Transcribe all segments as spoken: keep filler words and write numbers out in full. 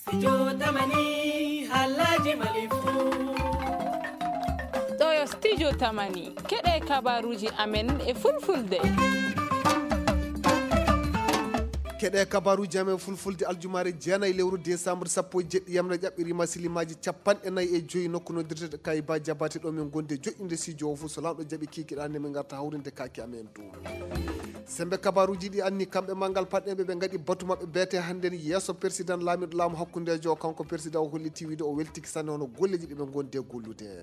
Studio Tamani, Halaji Malifu. Ɗo yo Studio Tamani, keɗe kabaruji amen e fulfulde. Keɗe kabaruji amen fulfulde aljumaare jeenayi lewru décembre sappo e jeɗɗi yamre ƴaɓɓirima silimaji capanɗe nayi e joyi nokku noddirteɗo Kayba Jabate ɗo min gondi e joɗɗinde studio o fof so lanɗo jaɓi kikiɗa nde min garta hawrinde kaki amen ɗum. Sembe kabaruji ɗi anni kamɓe manngal paɗɗeɓe ɓe ngaɗi batu maɓɓe beete hannden yeeso président laamiɗo laamu hakkundejo o, kanko président o holliti wiide o weltiki sanne hono golleji ɗi ɓe gondi e gollude.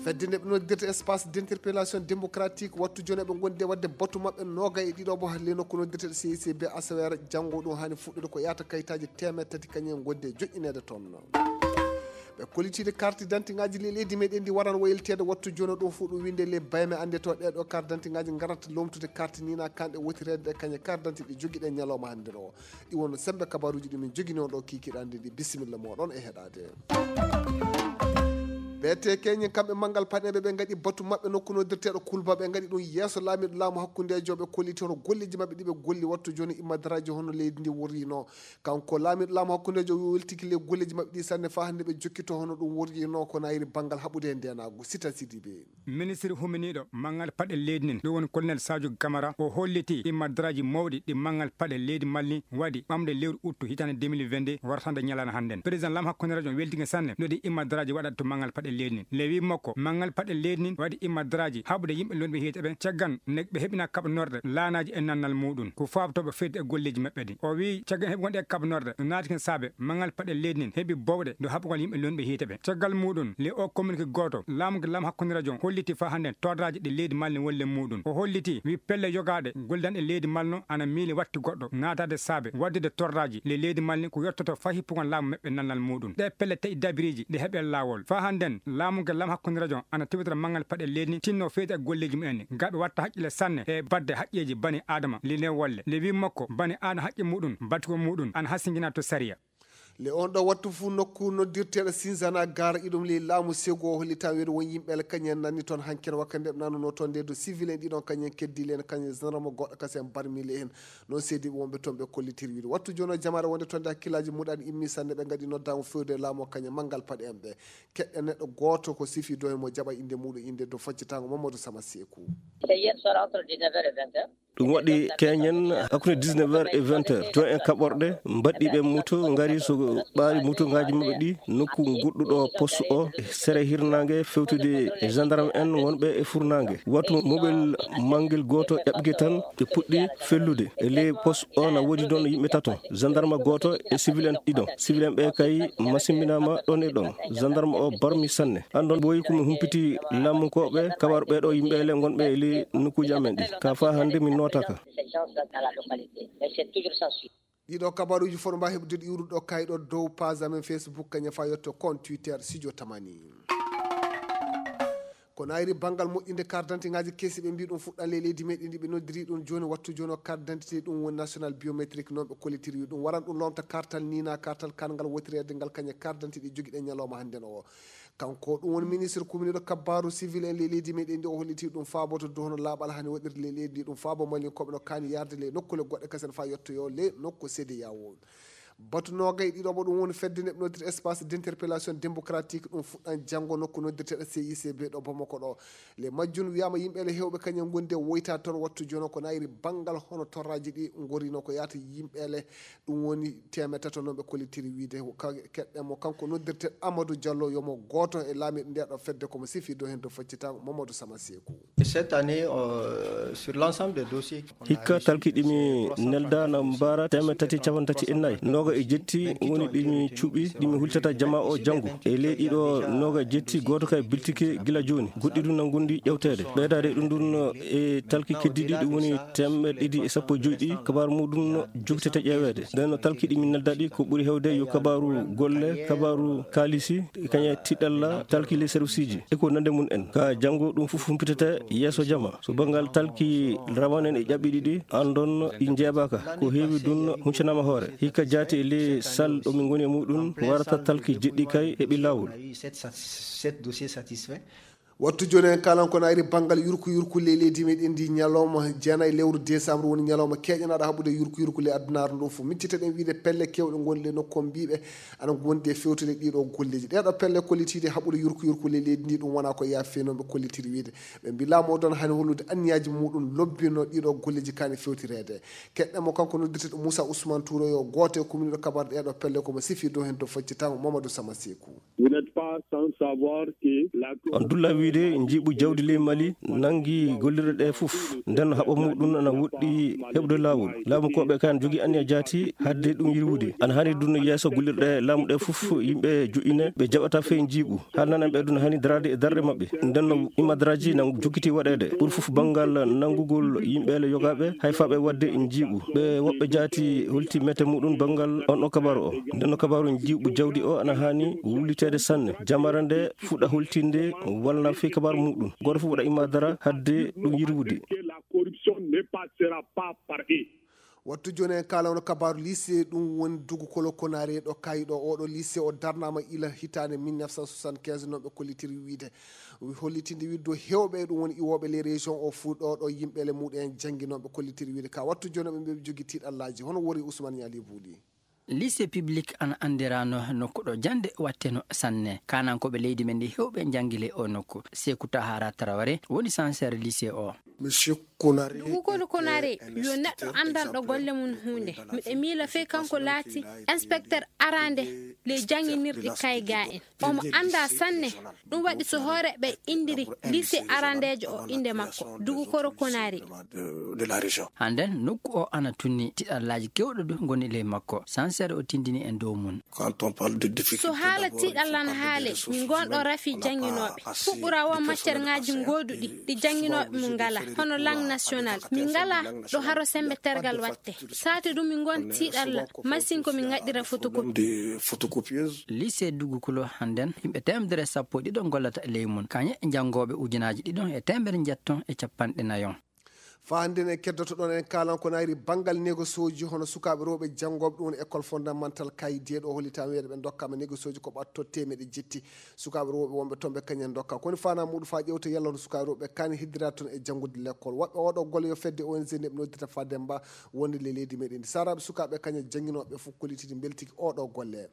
Fedde nde ɓe noddirta espace d'interpellation démocratique wattu joni eɓe gondi e wadde batu maɓɓe noga e ɗiɗo mo le nokku noddirteɗo C I C B asawere janngo ɗum hani fuɗɗude ko yahata kayitaji temeɗɗe tati kañum en gondi e joƴƴinede toon. Ɓe kollitiiɗe carte d'identité ngaji le leydi meɗen ndi waran wayilteede wattu jono ɗum fof ɗum winde le bayme annde to ɗeɗo carte d'identité ngaji ngarata lomtude carte nina kanɗe wotireede ɗe kañe carte d'identité ɗi jogiɗen ñalawma hannde ɗo. Ɗi wonno sembe kabaruji ɗumen jogini on ɗo kikiɗande ɗi. Bisimilla moɗon e heɗade. Ɓe te keñen kamɓe manngal paɗeɓe ɓe ngaɗi batu maɓɓe nokku noddirteɗo kulba ɓe ngaɗi ɗum yeeso laamiɗo laamu hakkundejo ɓe kolliti hono golleji maɓɓe ɗiɓe golli wattu joni immadaraji hono leydi ndi worrino. Kanko laamiɗo laamu hakkundejo o weltiki le golleji maɓɓe ɗi sanne faa hannde ɓe jokkito hono ɗum worƴino ko nayri banngal haɓude e ndenaagu. Sita Sidibe. Ministre huminiiɗo manngal paɗe leydi nin ɗum woni colonel Sadio Camara o holliti ɗi madraji mawɗi ɗi manngal paɗe leydi Mali waɗi ɓamde lewru uttu hitande deux mille vingt-deux wartande ñalana hannden. Président lam hakkunde radio weltike sanne no ɗi immadraji waɗata to manngal paɗe leydi nin. Le wi makko manngal paɗe leydi nin waɗi immadraji haɓude yimɓe lonɓe hiite ɓe caggan ne ɓe heɓina kaɓanorɗe laanaji e nannal muɗum ko faabtooɓe feyde e golleji maɓɓe ɗi. O wi caggal heɓugol ɗe kaɓanorɗe no naati ken saabe manngal paɗe leydi nin heɓi bowɗe do haɓugol yimɓe lonɓe hiite ɓe. Caggal muɗum le o communiqué gooto laamu gi lam hakkunde radio holliti fa hannden torraji ɗi leydi Mali wolle muɗum. O holliti wi pelle yogaɗe gollidanɗe leydi Mali no ana miili watti goɗɗo naatade saabe waddude torraji le leydi Mali ko yottoto fa hippugol laamu maɓɓe nannal muɗum. Ɗe pelle taƴi dabiriji ɗe heɓe laawol. Fa hannden laamu gi lam hakkunde radio ana tewtira manngal paɗe leydi tinno feyde e golleji mumen gaɓe watta haqqille sanne e badde haqqeji bani adama li ne wolle. Le wi makko bani adama haqqe muɗum batugo muɗum ana hasingina to sariya. Le on ɗo wattu fuu nokku noddirteeɗo Sinzana Gar iɗum ley laamu Segu o hollita weeru won yimɓe le kañen nanni toon hanken wakkande ɓe nanuno toon nde do civil en ɗiɗon kañen keddi len kañen gendarme goɗɗo kasi en barmi le hen. Noon seedi wonɓe toon ɓe kollitiri wiide wattu jono jamaare wonde toon nde hakkillaji muɗani immi sanne ɓe ngaɗi noddaango fewde laamu o kañen manngal paɗe en ɓe keɗɗe neɗɗo gooto ko sifi do e mo jaɓa innde muɗum innde do faccitango Mamadou Sama Seeku. C'est hier soir entre dix-neuf heures et vingt heures. Ɗum waɗi keñen hakkunde dix-neuf heures et vingt heures. Joon en kaɓorɗe mbaɗɗi ɓe muto ngari so ɓaari muto ngaji maɓɓe ɗi nokku goɗɗuɗo poste o sere hirnange fewtude e gendarme en wonɓe e furnange. Wattu mobel mangel gooto ƴaɓɓike tan ɓe puɗɗi fellude e ley poste o na woodi ɗon yimɓe tato gendarme gooto e civil en ɗiɗon. Civil en ɓe kay masimbinama ɗon e ɗon. Gendarme o barmi sanne. Andon ɓooyi ko mi humpiti laamunkooɓe kabaru ɓeeɗo yimɓe le ngonɓe e ley nokkuuji amen ɗi. Ka faa hannde min nootaka. Ces gens-là dans la localité. Mais c'est toujours sans suite. Ɗiɗo kabaruuji fof no mbaawi heɓdude iwruɗo kayɗo dow page amen Facebook kañum faa yetto compte Twitter Studio Tamani. Ko nayri banngal moƴƴinde carte d'identité ngaji kesi ɓe mbi ɗum fuɗɗan le leydi meɗen ndi ɓe noddiri ɗum jooni wattu jooni o carte d'identité ɗum woni national biométrique noon ɓe kollitiri wi ɗum waran ɗum lomta kartal nina kartal kangal wotireede ngal kañe carte d'identité ɗi jogiɗen ñalawma hannden o. Kanko ɗum woni ministre kuminiɗo kabbaru civil en le leydi meɗen ndi o holliti ɗum faaboto dow hono laaɓal hani waɗirde le leydi ndi ɗum faabo malinkoɓe no kaani yarde le nokkule goɗɗe kasen faa yettoyo le nokku C D A O. Batu noogay ɗiɗo mo ɗum woni fedde neɓnodiri espace d'interpellation démocratique ɗum fuɗɗan janngo nokku noddirteɗo C I C B ɗo Bamako ɗo. Le majjun wiyama yimɓe le hewɓe kañum gondi e woyta toon wattu jono ko nayri banngal hono torraji ɗi gorino ko yahata yimɓe le ɗum woni temeɗɗe tato noon ɓe kollitiri wiide keɗɗe mo kanko noddirteɗo Amadou Diallo yomo gooto e laamiɗo nde ɗo fedde komo sifi dow hen dow faccitango Mamadou Sama Seeku. Cette année, euh, sur l'ensemble des dossiers qui sont hikka arrivés, talki ɗimi neldana mbara temeɗɗe tati capanɗe tati e nayi noga e jetti woni ɗimi cuɓi ɗimi hultata jama o janngo e ley ɗiɗo noga e jetti goto kay biltike gila joni goɗɗi ɗum nangundi ƴewtede ɓeydade ɗum ɗum e talki keddiɗi ɗum woni temeɗɗe ɗiɗi e sappo e joyi ɗi kabaru muɗum jogtete ƴeweede nden no talki ɗimi neldaɗi ko ɓuri hewde yo kabaru golle kabaru kalisi kañe tiɗalla talki les serviceji e ko nande mum en ka janngo ɗum fof humpitete yeeso jama so banngal talki rawane en e ƴaɓɓi ɗiɗi andon ɗi njeeɓaka ko heewi ɗum huncanama hoore hikka jaati e ley sal ɗo min ngoni e muɗum warata talki jeɗɗi kay heɓi laawol. Wattu jooni en kaalan ko naayri banngal yurku yurku ley leydi meɗen ndi. Ñalawma jeenayi lewru décembre woni ñalawma keeƴanaaɗo haɓude yurku yurku ley addunaare ndo fof. Miccitoɗen wiide pelle keewɗe ngoni ley nokku on mbiiɓe ana ngondi e fewtude ɗiɗo golleeji. Ɗeɗo pelle kollitiiɗe haɓude yurku yurku ley leydi ndi, ɗum wona ko yaafi fewnooɓe kollitiri wiide. Ɓe mbi laamu o ɗon hani hollude anniyaaji muɗum lobbino ɗiɗo golleeji kani fewtireede. Keɗɗen mo kanko noddirteɗo Moussa Ousmane Touro yo gooto e kuminiɗo kabar ɗeɗo pelle ko mo sifi dow hen to faccitango Mamadou Sama Sekou. Vous n'êtes pas sans savoir que la On dulla wiide njiiɓu jawdi ley Mali nangi gollirɗe ɗe fof. Nden no haɓa muɗum ana woɗɗi heɓude laawol. Laamu koɓe kan jogi anniya jaati hadde ɗum yirwude. Ana hani dunno yeeso gollirɗe laamu ɗe fof yimɓe joƴƴine ɓe jaɓata fey njiiɓu. Haa nanan ɓe ɗum hani daraade e darɗe maɓɓe. Nden no imadaraaji nan jokkiti waɗeede. Ɓuri fof banngal nanngugol yimɓe le yogaaɓe hay faaɓe waɗde njiiɓu. Ɓe woɓɓe jaati holti mete muɗum banngal on ɗo kabaru o. Nden no kabaru njiiɓu jawdi o ana hani wulliteede sanne. Jamara nde fuɗa holtinde walla fii kabaru muɗum. Gooto fof waɗa imaadara hadde ɗum yirwude. Que la corruption ne passera pas par eux. Wattu jooni en kaalano kabaaru lycée, ɗum woni Dugu Kolo Konare ɗo kayi ɗo. Oɗo lycée o darnaama ila hitaande mille neuf cent soixante-quinze, non ɓe kollitiri wiide. Hollitinde wiide dow heewɓe e ɗum woni iwooɓe les régions o fuu ɗo ɗo yimɓe le muɗum en janngi, non ɓe kollitiri wiide. Ka wattu jooni ɓe mbiɓe jogi tiiɗallaaji. Hono wori Ousmane Ñaali Buuli. Lycée public ana anndirano nokku ɗo jannde watteno sanne. Kanankooɓe leydi men ndi heewɓe njanngi le o nokku. Sekou Tahara Traoré woni sanseer lycée o. Monsieur Konare Dugu Kolo Konare était un yo neɗɗo instituteur anndanɗo exemplaire golle mum huunde. Miɗo miila fey kanko laati inspecteur arande le jannginirɗi kayga en. Omo annda sanne. Ɗum waɗi so hoore ɓe indiri lycée arandeejo o innde makko, Dugu Kolo Konare. Hannden nokku o ana tunni tiɗallaaji kewɗo du ngoni ley makko. Sanseer o tindini en dow mum. So haala tiɗalla na haale, min ngonɗo rafi jannginooɓe. Fuɓɓura won matière ŋaaji gooduɗi ɗi jannginooɓe mum ngala, hono langue nationale. Min ngala ɗo haro sembe tergal watte. Saati ɗum min ngon tiɗalla, masin ko min ngaɗɗira photocopie. Lycée Dugu Kolo hannden, yimɓe teemedere sappo e ɗiɗo ngollata e ley mum. Kañe janngooɓe ujunaaji ɗiɗo e teemedere njetto e capanɗe nayo. Faa hannden en keddoto ɗon, en kaalan ko nayri banngal négociation ji hono sukaaɓe rewɓe janngooɓe ɗum woni école fondamental Kaydi ɗo hollitaama wiyeede ɓe ndokkaama négociation ji ko ɓatto teemeɗe jetti. Sukaaɓe rewɓe wonɓe toon ɓe kañen ndokka. Ko woni faanaa muɗum faa ƴeewta yalla hono sukaaɓe rewɓe kaani heddiraade toon e janngude lekkol. Waɗɓe oɗo golle yo fedde O N G nde ɓe noddirta Fademba wonde le leydi meɗen ndi. Saaraaɓe sukaaɓe kañen jannginooɓe fof kollitidi mbeltiki oɗo golle.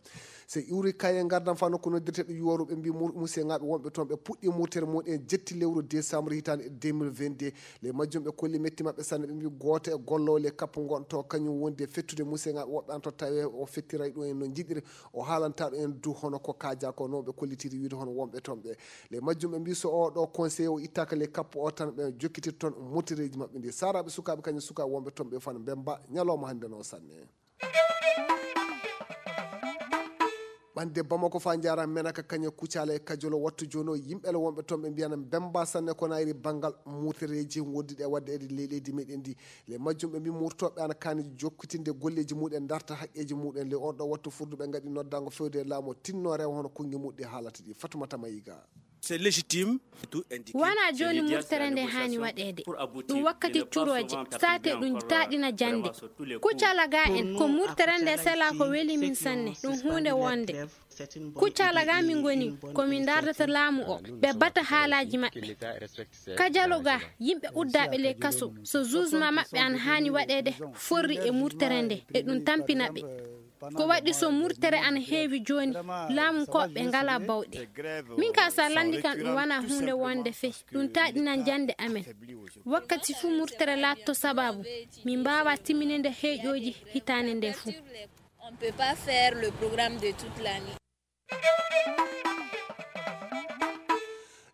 So iwri kaye ngardam faa nokku noddirteɗo yuwaru ɓe mbi mur-, musiyŋaaɓe wonɓe toon ɓe puɗɗi murtere muɗum en jetti lewru décembre hitaande deux mille vingt-deux. Ley majjum ɓe kolli metti maɓɓe sanne ɓe mbi gooto e golloowo ley kappu ngon to kañum wondi e fettude musiyŋaaɓe woɓɓe an to tawi o fettiray ɗum en no njiɗiri. O haalanta ɗum en du hono ko kaaja ko no ɓe kollitiri wiide hono wonɓe toon ɓe. Ley majjum ɓe mbi so o ɗo conseiller o ittaaka ley kappu o tan ɓe jokkitirta toon murtereeji maɓɓe ndi. Saaraaɓe sukaaɓe kañum sukaaɓe wonɓe toon ɓe fana mbemba ñalawma hannde no sanne. Ɓande Bamako faa njaara Menaka kañe Kucala e Kajolo wattu jooni o yimɓe le wonɓe toon ɓe mbiyana mbemba sanne ko nayri banngal murtereeji wonduɗi e waɗde e ley leydi meɗen ndi. Ley majjum ɓe mbi murtooɓe ana kaani jokkitinde golleeji muɗum en darta haqqeeji muɗum en ley on ɗo wattu furdu ɓe ngaɗi noddaango fewde e laamu o tinno rewa hono konngi muɗum ɗi haalata ɗi. Fatumata Mayiga. C'est légitime. Wona jooni murtere nde haani waɗeede. Ɗum wakkati curooje, saate ɗum taaɗina jannde. Kuccala ga en, ko murtere nde sela ko weli min sanne, ɗum huunde wonde. Kuccala ga min ngoni, ko min ndardata laamu o, ɓe bata haalaaji maɓɓe. Kajalo ga, yimɓe uddaaɓe ley kaso, so jugement maɓɓe an haani waɗeede, forri e murtere nde, e ɗum tampina ɓe. Ko waɗi so murtere ana heewi jooni, laamu ko ɓe ngala bawɗe. Min ka sa lanndi kan ɗum wona huunde wonde fey, ɗum taaɗinan jannde amen. Wakkati fuu murtere laatto sababu, min mbaawa timmininde heeƴooji hitaande nde fuu. On peut pas faire le programme de toute l'année.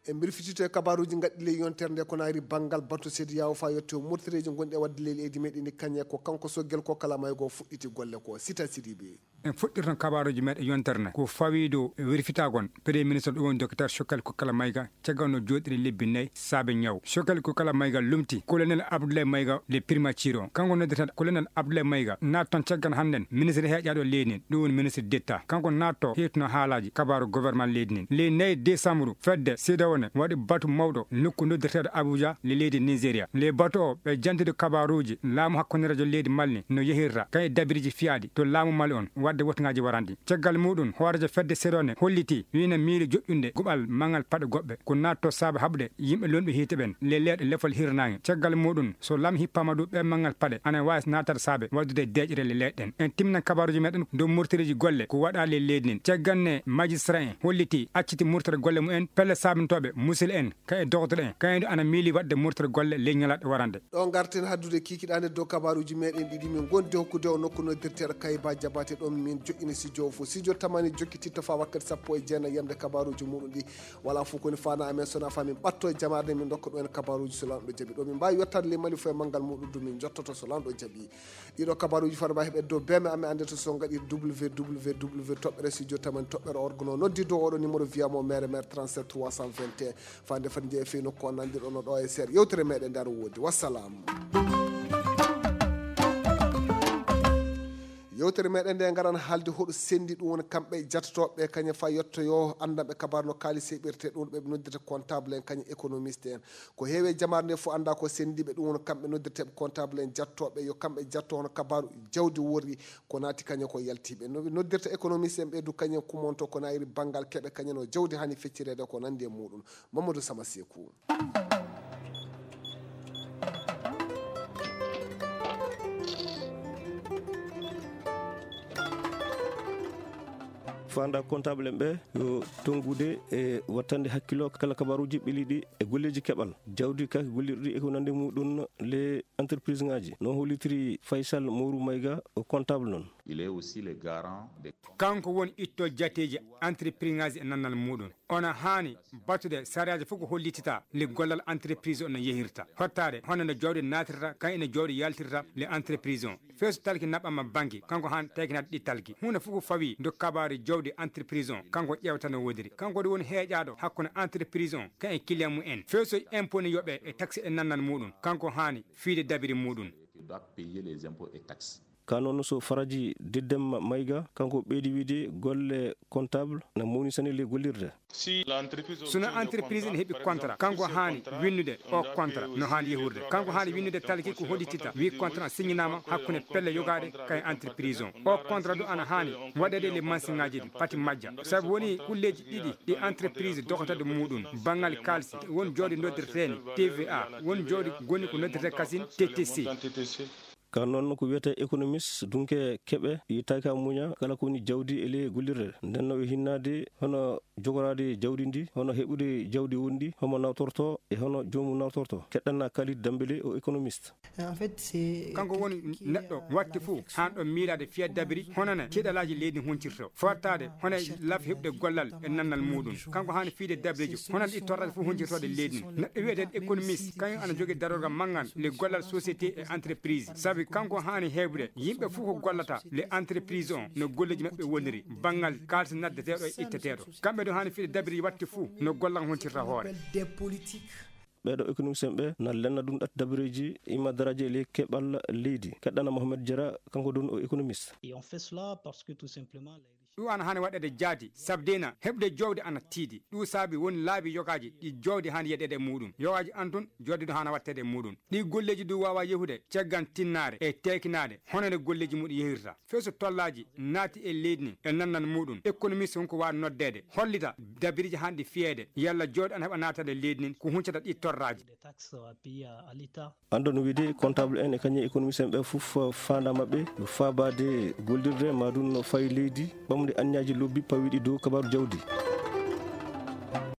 E mbir fitito e kabaruuji ngaddi ley yontere nde ko naari banngal batu sedi yawo faa yotte o murtereeji ngonɗi e waɗde ley leydi meɗen ndi kañe ko kanko soggel ko kala maygo fuɗɗiti golle ko Sita Sidibe. En fuɗɗirtan kabaruuji meɗen yontere nde ko fawiido e werfitagol Premier Ministre ɗum woni Docteur Choguel Kokalla Maïga caggal no jooɗiri lebbi nayi saabe ñaw. Choguel Kokalla Maïga lumti Colonel Abdoulaye Maïga le Primatier o. Kanko noddeten Colonel Abdoulaye Maïga naati toon caggal hannden ministre heeƴaaɗo leydi ndi, ɗum woni ministre d'État. Kanko naatto heetuno haalaaji kabaru gouvernement leydi ndi. Ley nayi décembre fedde C E D E A O Waɗi batu mawɗo nokku noddirteeɗo Abuja le leydi Nigeria. Le batu o ɓe jantude kabaruuji laamu hakkunderejo leydi Mali no yehirta kay e dabiriji fiyaaɗi to laamu Mali on wadde wotingaaji waranɗi. Caggal muɗum hoorejo fedde serone holliti wina miili joƴƴunde guɓal mangal paɗe goɓɓe ko natto saabe haɓde yimɓe lonɓe hiite ɓen le leeɗe lefol hirnaange. Caggal muɗum so lam hippama ɗum ɓe mangal paɗe ana wawi natata saabe waddude deƴre le leeɗe ɗen. En timminan kabaruuji meɗen dow murtiriji golle ko waɗaali e leydi ndin. Caggal ne majistra en holliti acciti murtere golle mumen pelle saabintooɓe musil en ka e dogotoro en kañum ana miili waɗde murtere golle ley ñalaɗe warande. Ɗo garten haddude kikiɗaande dow kabaruuji meɗen ɗiɗi min gondi hokkude o nokku noddirteeɗo Kayba Jabate ɗon min joƴƴini sijo o fof sijo tamani jokkititto fa wakkati sappo e jeenayi yamde kabaruuji muɗum ɗi. Wala fof koni fana amen sona fa min ɓatto e jamaare min dokka ɗum en kabaruuji so lanɗo jaɓi ɗo min mbawi yettade le Mali fof e manngal muɗum ɗum min jottoto so lanɗo jaɓi. Ɗiɗo kabaruuji fana mbawi heɓe dow beme amen annde to so gaɗi www toɓɓere studio tamani toɓɓere orgono noddi dow oɗo numéro wiyamo mere mere trente-sept trois cent vingt et un. Fande fati jeeya fii nokku o nandirɗo no ɗo e seeɗa yewtere meɗen nde aɗa woodi wassalam. Yewtere meɗen nde ngaran haalde hoɗo sendi ɗum woni kamɓe jatotoɓe kañum fa yettoyo anndanɓe kabaru no kaalis heɓirte ɗum ɓe noddirta comptable en kañum économiste en. Ko heewi e jamaare nde fof annda ko sendiɓe ɗum woni kamɓe noddirteɓe comptable en jattoɓe yo kamɓe jatto hono kabaru jawdi worri ko naati kañum ko yaltiɓe no ɓe noddirta économiste en ɓeydu kañum kumonto ko nayri banngal keɓe kañum no jawdi hani feccirede ko nandi e muɗum. Mamadou Sama Sekou. Fanda comptable en ɓe yo tongude e wattande hakkilo kala kabaruji ɓeliɗi e golleji keɓal jawdi kaki gollirɗi e ko nande muɗum le entreprise ngaji no hollitiri Faysal Moru Mayga o comptable non. Il est aussi le garant des. Kanko woni itto jateji entreprise ngaji e nannal muɗum. Ona haani battude sariyaaji fof ko hollitita le gollal entreprise o no yehirta hottaade hono no jawdi naatirta kan ene jawdi yaltirta le entreprise o. Feeso talki naɓɓama banki kanko haani taykinade ɗi talki huunde fof ko fawi do kabaari jawdi entreprise o kanko ƴeewta no woodiri kanko ɗum woni heeƴaaɗo hakkunde entreprise o kan e client mum en feesoji impôt ne yoɓe e taxe e nannal muɗum kanko haani fiide dabiri muɗum. Doit payer les impôts et taxes. Ka noon so faraji diddemma mayga kanko ɓeydi wiide golle comptable na mawnisani le gollirde. Sino entreprise ne heɓi contrat kanko haani winnude o contrat no haani yehurde kanko haani winnude talki ko hoɗitita wi contrat signinaama hakkunde pelle yogaɗe kay entreprise o o contrat du ana haani waɗede le mansiŋaji ɗi pati majja sabu woni kulleji ɗiɗi ɗi entreprise dogotade muɗum banngal kalsi won jooɗi noddirteni T V A won jooɗi goni ko noddirte kasin T T C. Ka noon ko wiyetee économiste dunke keɓe yittaaki a muña kala ko woni jawdi e ley gollirde nden no ɓe hinnaade hono jogoraade jawdi ndi hono heɓude jawdi wondi homo nawtorto e hono joomum nawtorto keɗɗanna Kalid Dambele o économiste. Kanko woni neɗɗo watti fof haan ɗo miilaade fiya dabiri honana keɗalaaji leydi huncirto fottaade hono e laf heɓde gollal e nannal muɗum kanko haani fiide dabreji hono ɗi torraji fof huncirtooɗe leydi ndi neɗɗo wiyeteeɗo économiste kañum ana jogii darorgal manngal le gollal société e entreprise sabi kanko haani heɓude yimɓe fof ko gollata le entreprise on no golleji maɓɓe woniri banngal kaalis naddeteeɗo e itteteeɗo kamɓe ɗo haani fiide dabreji watte fof no gollal huncirta hoore. Ɓeeɗo économiste en ɓe na lenna ɗum ɗat dabareeji imma daraaji e ley keɓal leydi keɗɗana Mohamed Diarra kanko ɗum o économiste. Ɗum ana haani waɗeede jaati sabdena heɓde jowde ana tiiɗi ɗum saabi woni laabi yogaaji ɗi jowde haani yeɗeede e muɗum yogaaji an tun joddiɗo haana waɗteede e muɗum ɗi golleeji ɗum waawa yehude caggal tinnaare e teekinaade hono nde golleeji muɗum yehirta. Feeso tollaaji naati e leydi ndi e nannal muɗum économiste won ko waawi noddeede hollita dabiriji haanɗi fiyeede yalla jooɗi ana heɓa naatande leydi ndi ko huncata ɗi torraaji. Anndo no wiide comptable en e kañum économiste en ɓe fof faanda maɓɓe yo faabaade gollirde ma ɗum no fayi leydi ɓamde anniyaji lobbi pawiɗi dow kabaru jawdi.